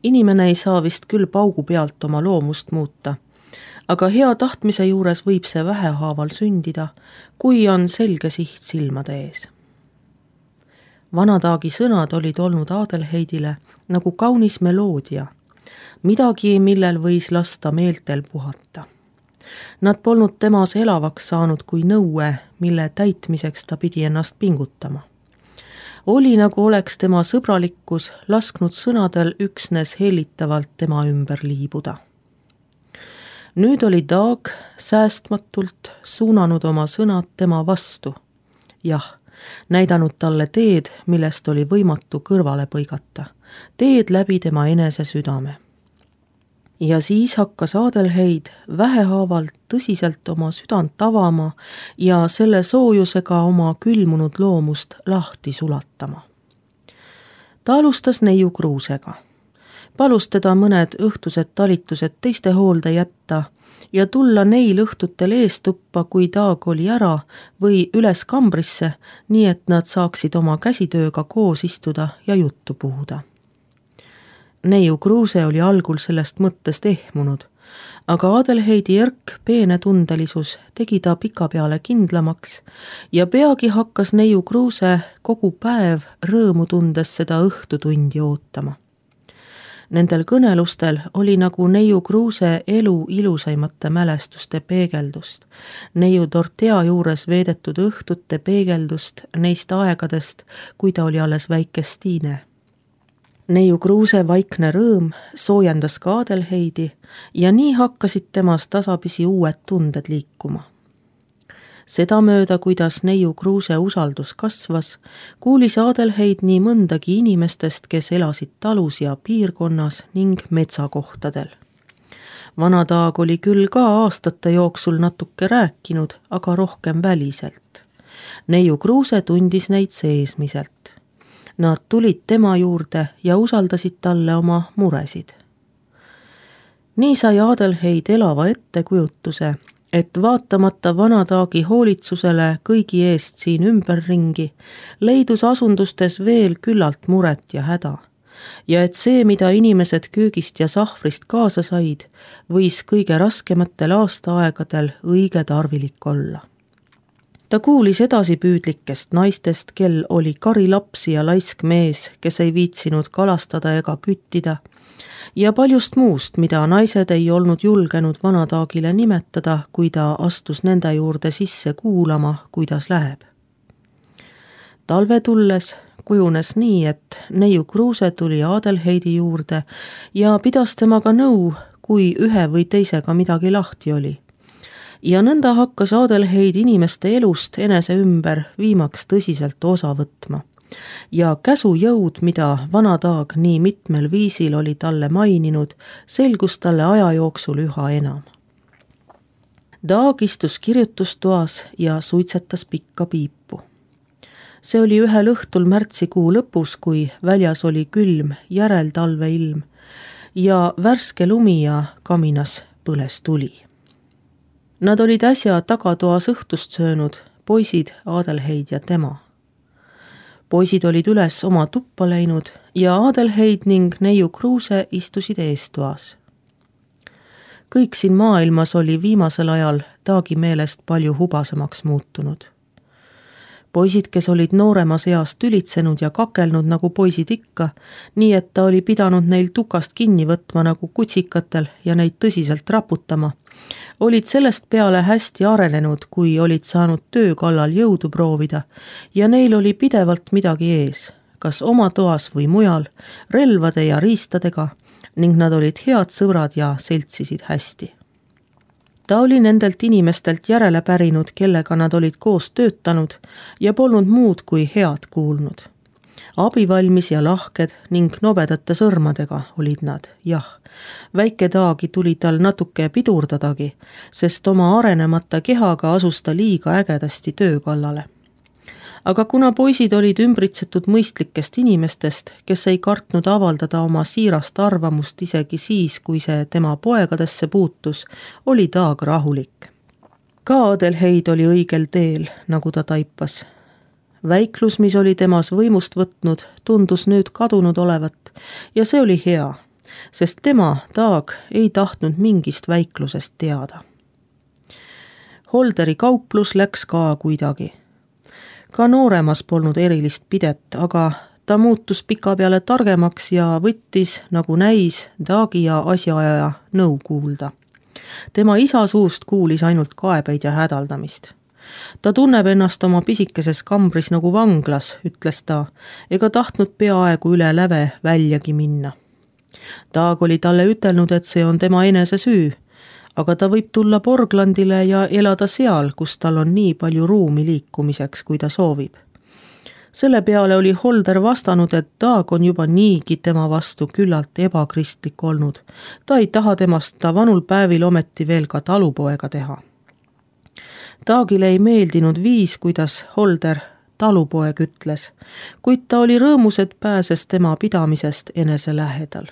Inimene ei saa vist küll paugu pealt oma loomust muuta, aga hea tahtmise juures võib see vähehaaval sündida, kui on selge siht silmade ees. Vanataagi sõnad olid olnud Adelheidile nagu kaunis meloodia, midagi, millel võis lasta meeltel puhata. Nad polnud temas elavaks saanud kui nõue, mille täitmiseks ta pidi ennast pingutama. Oli nagu oleks tema sõbralikkus lasknud sõnadel üksnes hellitavalt tema ümber liibuda. Nüüd oli Daag säästmatult suunanud oma sõnad tema vastu. Jah, näidanud talle teed, millest oli võimatu kõrvale põigata. Teed läbi tema enese südame. Ja siis hakkas Adelheid vähehaaval tõsiselt oma südant avama ja selle soojusega oma külmunud loomust lahti sulatama. Ta alustas neiu Kruusega. Palus teda mõned õhtused talitused teiste hoolde jätta ja tulla neil õhtutel eestuppa, kui Daag oli ära või üles kambrisse, nii et nad saaksid oma käsitööga koos istuda ja juttu puhuda. Neiu Kruuse oli algul sellest mõttest ehmunud, aga Adelheidi järk peene tundelisus tegi ta pikapeale kindlamaks ja peagi hakkas neiu Kruuse kogu päev rõõmu tundes seda õhtutundi ootama. Nendel kõnelustel oli nagu neiu Kruuse elu ilusaimate mälestuste peegeldust, neiu Dortea juures veedetud õhtute peegeldust neist aegadest, kui ta oli alles väike Stiine. Neiu Kruuse vaikne rõõm soojendas ka Adelheidi ja nii hakkasid temas tasapisi uued tunded liikuma. Sedamööda, kuidas neiu Kruuse usaldus kasvas, kuulis Adelheid nii mõndagi inimestest, kes elasid talus ja piirkonnas ning metsakohtadel. Vana Daag oli küll ka aastate jooksul natuke rääkinud, aga rohkem väliselt. Neiu Kruuse tundis neid seesmiselt. Nad tulid tema juurde ja usaldasid talle oma muresid. Nii sai Adelheid elava ettekujutuse, et vaatamata Vana Daagi hoolitsusele kõigi eest siin ümberringi, leidus asundustes veel küllalt muret ja häda. Ja et see, mida inimesed köögist ja sahvrist kaasa said, võis kõige raskematel aastaaegadel õige tarvilik olla. Ta kuulis edasipüüdlikest naistest, kel oli kari lapsi ja laisk mees, kes ei viitsinud kalastada ega küttida, ja paljust muust, mida naised ei olnud julgenud Vana Daagile nimetada, kui ta astus nende juurde sisse kuulama, kuidas läheb. Talve tulles kujunes nii, et neiu Kruuse tuli Adelheidi juurde ja pidas temaga nõu, kui ühe või teisega midagi lahti oli. Ja nõnda hakkas Adelheid inimeste elust enese ümber viimaks tõsiselt osa võtma. Ja käsujõud, mida Vana Daag nii mitmel viisil oli talle maininud, selgus talle aja jooksul üha enam. Daag istus kirjutustoas ja suitsetas pikka piipu. See oli ühel õhtul märtsikuu lõpus, kui väljas oli külm järeltalveilm ja värske lumi ja kaminas põles tuli. Nad olid äsja tagatoas õhtust söönud, poisid, Adelheid ja tema. Poisid olid üles oma tuppa läinud ja Adelheid ning neiu Kruuse istusid eestoas. Kõik siin maailmas oli viimasel ajal Daagi meelest palju hubasemaks muutunud. Poisid, kes olid nooremas eas tülitsenud ja kakelnud nagu poisid ikka, nii et ta oli pidanud neil tukast kinni võtma nagu kutsikatel ja neid tõsiselt raputama, olid sellest peale hästi arenenud, kui olid saanud töö kallal jõudu proovida ja neil oli pidevalt midagi ees, kas oma toas või mujal, relvade ja riistadega ning nad olid head sõbrad ja seltsisid hästi. Ta oli nendelt inimestelt järele pärinud, kellega nad olid koos töötanud ja polnud muud kui head kuulnud. Abivalmis ja lahked ning nobedate sõrmadega olid nad, jah. Väike Daagi tuli tal natuke pidurdadagi, sest oma arenemata kehaga asus ta liiga ägedasti töö kallale. Aga kuna poisid olid ümbritsetud mõistlikest inimestest, kes ei kartnud avaldada oma siirast arvamust isegi siis, kui see tema poegadesse puutus, oli Daag rahulik. Ka Adelheid oli õigel teel, nagu ta taipas. Väiklus, mis oli temas võimust võtnud, tundus nüüd kadunud olevat ja see oli hea, sest tema, Taag, ei tahtnud mingist väiklusest teada. Holderi kauplus läks ka kuidagi. Ka nooremas polnud erilist pidet, aga ta muutus pikapeale targemaks ja võttis, nagu näis, Taagi ja asjaajaja nõu kuulda. Tema isa suust kuulis ainult kaebeid ja hädaldamist. Ta tunneb ennast oma pisikeses kambris nagu vanglas, ütles ta, ega tahtnud peaaegu üle läve väljagi minna. Taag oli talle ütelnud, et see on tema enese süü, aga ta võib tulla Porglandile ja elada seal, kus tal on nii palju ruumi liikumiseks, kui ta soovib. Selle peale oli Holder vastanud, et Taag on juba niigi tema vastu küllalt ebakristlik olnud. Ta ei taha temast ta vanul päevil ometi veel ka talupoega teha. Taagile ei meeldinud viis, kuidas Holder talupoeg ütles, kuid ta oli rõõmus, et pääses tema pidamisest enese lähedal.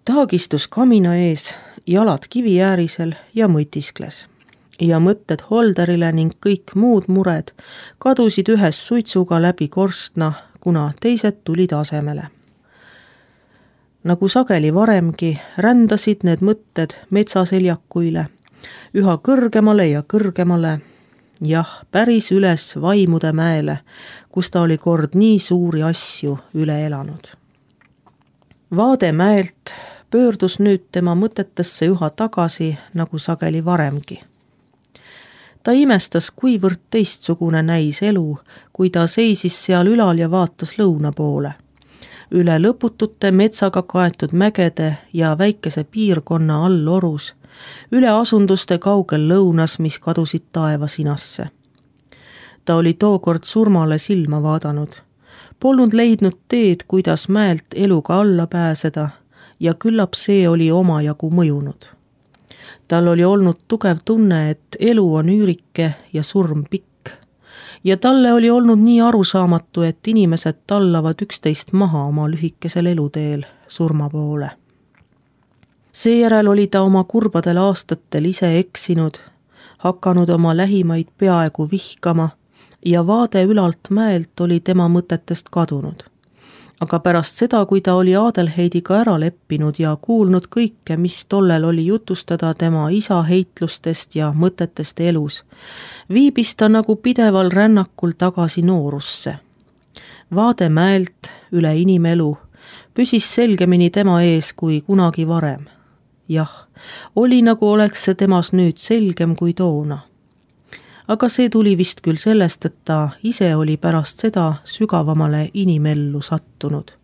Taag istus kamina ees, jalad kivi äärisel ja mõtiskles. Ja mõtted Holderile ning kõik muud mured kadusid ühes suitsuga läbi korstna, kuna teised tulid asemele. Nagu sageli varemgi, rändasid need mõtted metsaseljakuile, üha kõrgemale ja kõrgemale, jah, päris üles Vaimude mäele, kus ta oli kord nii suuri asju üle elanud. Vaade mäelt pöördus nüüd tema mõtetesse üha tagasi, nagu sageli varemgi. Ta imestas, kuivõrd teistsugune näis elu, kui ta seisis seal ülal ja vaatas lõuna poole. Üle lõputute metsaga kaetud mägede ja väikese piirkonna all orus, üle asunduste kaugel lõunas, mis kadusid taevasinasse. Ta oli tookord surmale silma vaadanud. Polnud leidnud teed, kuidas mäelt eluga alla pääseda ja küllap see oli omajagu mõjunud. Tal oli olnud tugev tunne, et elu on üürike ja surm pikk. Ja talle oli olnud nii arusaamatu, et inimesed tallavad üksteist maha oma lühikesel eluteel surma poole. Seejärel oli ta oma kurbadel aastatel ise eksinud, hakanud oma lähimaid peaaegu vihkama ja vaade ülalt mäelt oli tema mõtetest kadunud. Aga pärast seda, kui ta oli Adelheidiga ära leppinud ja kuulnud kõike, mis tollel oli jutustada tema isa heitlustest ja mõtetest elus, viibis ta nagu pideval rännakul tagasi noorusse. Vaade mäelt üle inimelu püsis selgemini tema ees kui kunagi varem. Jah, oli nagu oleks see temas nüüd selgem kui toona. Aga see tuli vist küll sellest, et ta ise oli pärast seda sügavamale inimellu sattunud.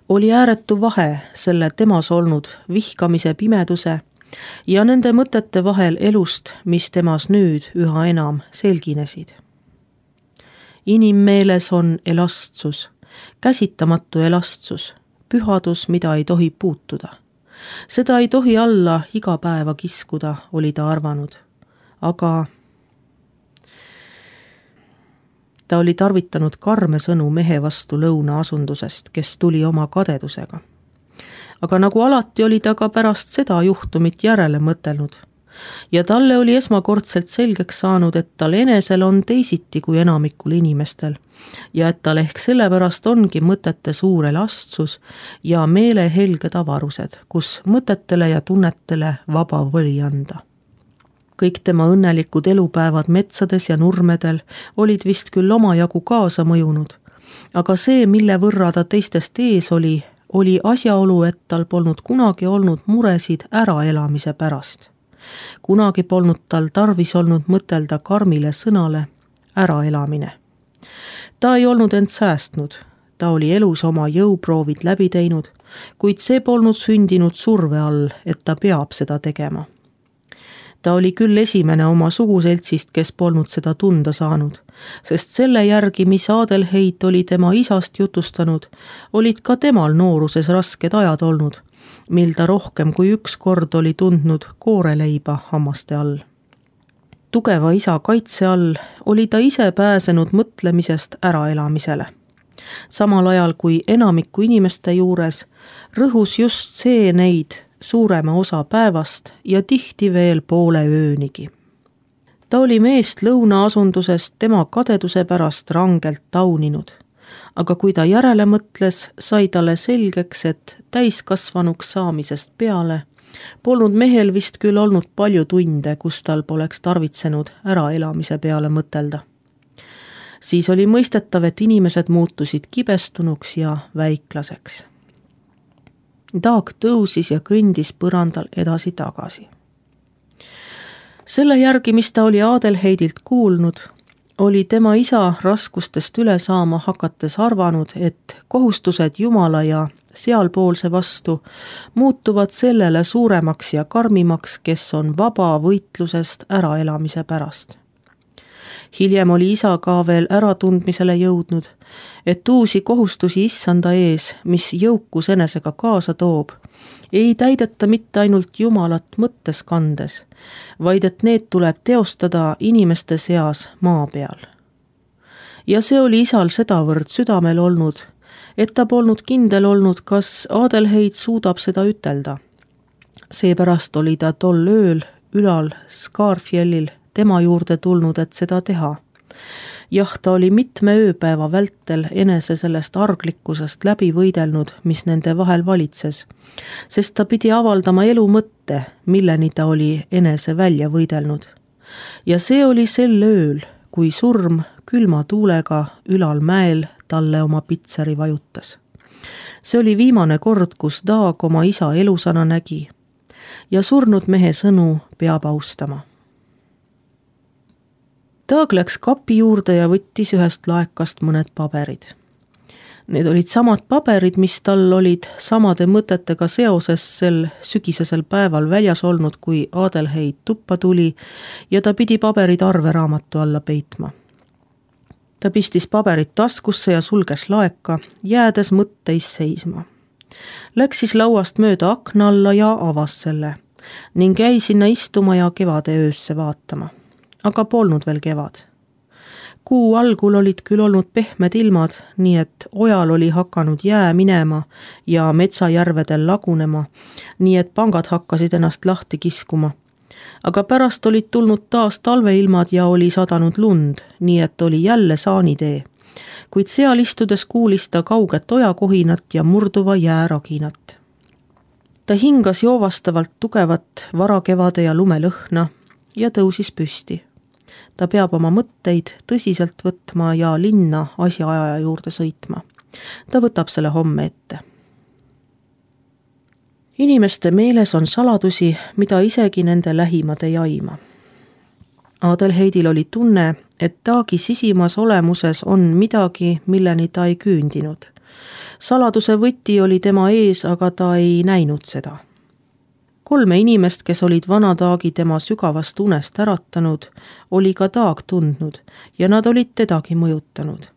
Oli ääretu vahe selle temas olnud vihkamise pimeduse ja nende mõtete vahel elust, mis temas nüüd üha enam selginesid. Inimmeeles on elastsus, käsitamatu elastsus, pühadus, mida ei tohi puutuda. Seda ei tohi alla iga päeva kiskuda, oli ta arvanud. Aga ta oli tarvitanud karme sõnu mehe vastu lõunaasundusest, kes tuli oma kadedusega. Aga nagu alati oli ta ka pärast seda juhtumit järele mõtelnud. Ja talle oli esmakordselt selgeks saanud, et tal enesel on teisiti kui enamikul inimestel ja et tal ehk sellepärast ongi mõtete suur elastsus ja meelehelged avarused, kus mõtetele ja tunnetele vaba voli anda. Kõik tema õnnelikud elupäevad metsades ja nurmedel olid vist küll omajagu kaasa mõjunud, aga see, mille võrra ta teistest ees oli asjaolu, et tal polnud kunagi olnud muresid äraelamise pärast. Kunagi polnud tal tarvis olnud mõtelda karmile sõnale äraelamine. Ta ei olnud end säästnud, ta oli elus oma jõuproovid läbi teinud, kuid see polnud sündinud surve all, et ta peab seda tegema. Ta oli küll esimene oma suguseltsist, kes polnud seda tunda saanud, sest selle järgi, mis Adelheid oli tema isast jutustanud, olid ka temal nooruses rasked ajad olnud, mil ta rohkem kui üks kord oli tundnud kooreleiba hammaste all. Tugeva isa kaitse all oli ta ise pääsenud mõtlemisest äraelamisele. Samal ajal kui enamiku inimeste juures rõhus just see neid suurema osa päevast ja tihti veel poole öönigi. Ta oli meest lõunaasundusest tema kadeduse pärast rangelt tauninud, aga kui ta järele mõtles, sai talle selgeks, et täiskasvanuks saamisest peale polnud mehel vist küll olnud palju tunde, kus tal poleks tarvitsenud äraelamise peale mõtelda. Siis oli mõistetav, et inimesed muutusid kibestunuks ja väiklaseks. Daag tõusis ja kõndis põrandal edasi-tagasi. Selle järgi, mis ta oli Adelheidilt kuulnud, oli tema isa raskustest üle saama hakates arvanud, et kohustused Jumala ja sealpoolse vastu muutuvad sellele suuremaks ja karmimaks, kes on vaba võitlusest äraelamise pärast. Hiljem oli isa ka veel äratundmisele jõudnud, et uusi kohustusi issanda ees, mis jõukus enesega kaasa toob, ei täideta mitte ainult Jumalat mõttes kandes, vaid et need tuleb teostada inimeste seas maa peal. Ja see oli isal sedavõrd südamel olnud, et ta polnud kindel olnud, kas Adelheid suudab seda ütelda. Seepärast oli ta tol ööl ülal Skarfjellil tema juurde tulnud, et seda teha. Jah, ta oli mitme ööpäeva vältel enese sellest arglikkusest läbi võidelnud, mis nende vahel valitses, sest ta pidi avaldama elu mõtte, milleni ta oli enese välja võidelnud. Ja see oli sel ööl, kui surm külma tuulega ülal mäel talle oma pitseri vajutas. See oli viimane kord, kus Daag oma isa elusana nägi ja surnud mehe sõnu peab austama. Daag läks kapi juurde ja võttis ühest laekast mõned paberid. Need olid samad paberid, mis tal olid samade mõtetega seoses sel sügisesel päeval väljas olnud, kui Adelheid tuppa tuli ja ta pidi paberid arveraamatu alla peitma. Ta pistis paberid taskusse ja sulges laeka, jäädes mõtteis seisma. Läks siis lauast mööda akna alla ja avas selle ning jäi sinna istuma ja kevade öösse vaatama. Aga polnud veel kevad. Kuu algul olid küll olnud pehmed ilmad, nii et ojal oli hakanud jää minema ja metsajärvedel lagunema, nii et pangad hakkasid ennast lahti kiskuma. Aga pärast olid tulnud taas talveilmad ja oli sadanud lund, nii et oli jälle saanitee. Kuid seal istudes kuulis ta kauget ojakohinat ja murduva jääraginat. Ta hingas joovastavalt tugevat varakevade ja lumelõhna ja tõusis püsti. Ta peab oma mõtteid tõsiselt võtma ja linna asjaajaja juurde sõitma. Ta võtab selle homme ette. Inimeste meeles on saladusi, mida isegi nende lähimad ei aima. Adelheidil oli tunne, et Daagi sisimas olemuses on midagi, milleni ta ei küündinud. Saladuse võti oli tema ees, aga ta ei näinud seda. 3 inimest, kes olid vana Daagi tema sügavast unest äratanud, oli ka Daag tundnud ja nad olid tedagi mõjutanud.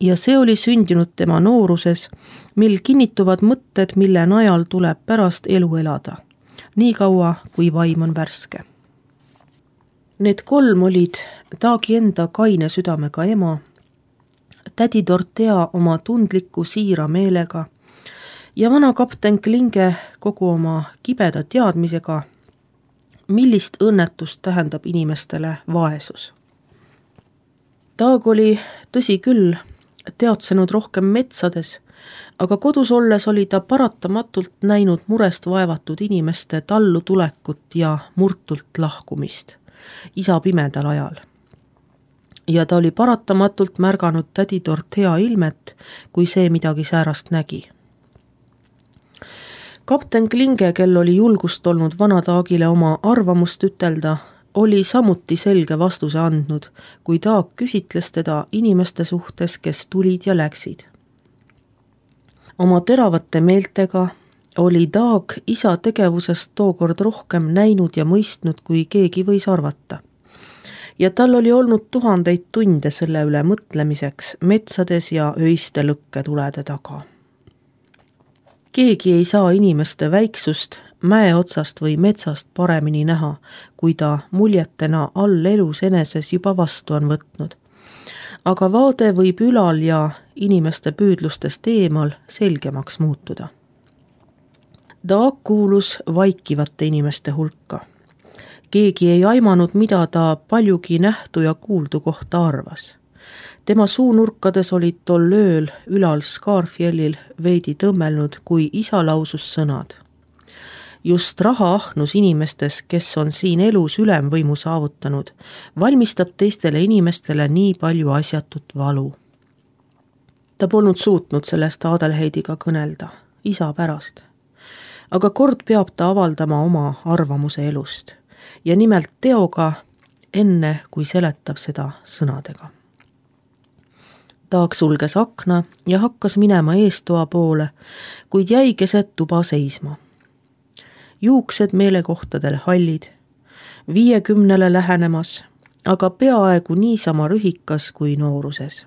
Ja see oli sündinud tema nooruses, mil kinnituvad mõtted, mille najal tuleb pärast elu elada, nii kaua kui vaim on värske. Need 3 olid Daagi enda kaine südamega ema, tädi Dorothea oma tundliku siira meelega ja vana kapten Klinge kogu oma kibeda teadmisega, millist õnnetust tähendab inimestele vaesus. Daag oli, tõsi küll, teadsenud rohkem metsades, aga kodus olles oli ta paratamatult näinud murest vaevatud inimeste tallu tulekut ja murtult lahkumist, isa pimedal ajal. Ja ta oli paratamatult märganud tädi Dorothea ilmet, kui see midagi säärast nägi. Kapten Klinge, kel oli julgust olnud vana Daagile oma arvamust ütelda, oli samuti selge vastuse andnud, kui Daag küsitles teda inimeste suhtes, kes tulid ja läksid. Oma teravate meeltega oli Daag isa tegevusest tookord rohkem näinud ja mõistnud, kui keegi võis arvata. Ja tal oli olnud 1000 tunde selle üle mõtlemiseks metsades ja öiste lõkketulede taga. Keegi ei saa inimeste väiksust mäe otsast või metsast paremini näha, kui ta muljetena all elus eneses juba vastu on võtnud. Aga vaade võib ülal ja inimeste püüdlustest eemal selgemaks muutuda. Daag kuulus vaikivate inimeste hulka. Keegi ei aimanud, mida ta paljugi nähtu ja kuuldu kohta arvas. Tema suunurkades olid tol ööl ülal Scarfjellil veidi tõmmelnud, kui isa lausus sõnad. Just rahaahnus inimestes, kes on siin elus ülemvõimu saavutanud, valmistab teistele inimestele nii palju asjatut valu. Ta polnud suutnud sellest Adelheidiga kõnelda, isa pärast. Aga kord peab ta avaldama oma arvamuse elust ja nimelt teoga, enne kui seletab seda sõnadega. Taag sulges akna ja hakkas minema eestoa poole, kuid jäi keset tuba seisma. Juuksed meelekohtadel hallid, 50 lähenemas, aga peaaegu niisama rühikas kui nooruses.